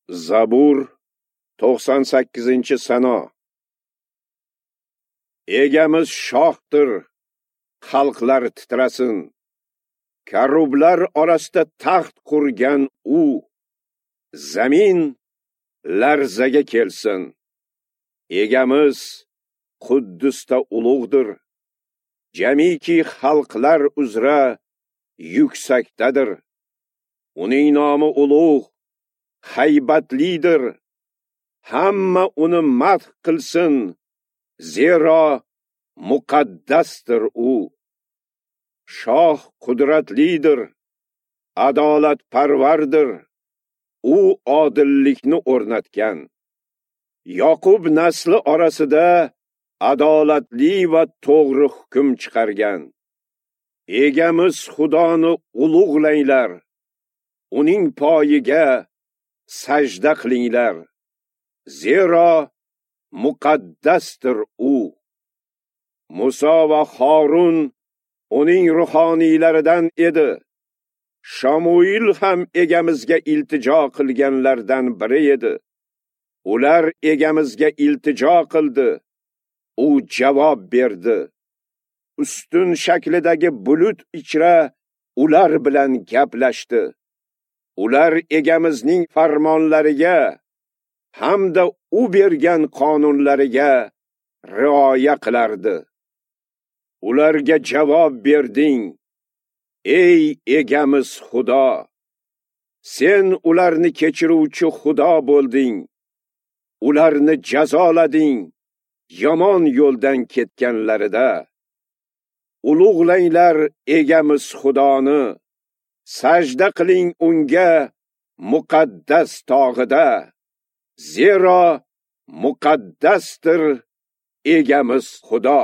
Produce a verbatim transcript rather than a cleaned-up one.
Zabur to'qson sakkizinchi sano. Egamiz shohdir, xalqlar titrasin. Karublar orasida taxt qurgan u, zamin larzaga kelsin. Egamiz Quddusda ulug'dir. Jamiki xalqlar uzra yuksakdadir. Uning nomi ulug', haybatlidir. Hamma uni madh qilsin, zero muqaddasdir u. Shoh qudratlidir, adolatparvardir. U odillikni o'rnatgan. Yoqub nasli orasida adolatli va to'g'ri hukm chiqargan. Egamiz Xudoni ulug'langlar, uning poyiga sajda qilinglar, zero muqaddasdir u. Musa va Harun uning ruhoniylaridan edi. Shamuil ham egamizga iltijo qilganlardan biri edi. Ular egamizga iltijo qildi, u javob berdi. Ustun shaklidagi bulut ichra ular bilan gaplashdi. Ular egamizning farmonlariga hamda u bergan qonunlariga rioya qilardi. Ularga javob berding, ey egamiz Xudo. Sen ularni kechiruvchi Xudo bo'lding. Ularni jazolading yomon yo'ldan ketganlarida. Ulug'langlar egamiz Xudoni, sajda qiling unga muqaddas tog'ida, zero muqaddasdir egamiz Xudo.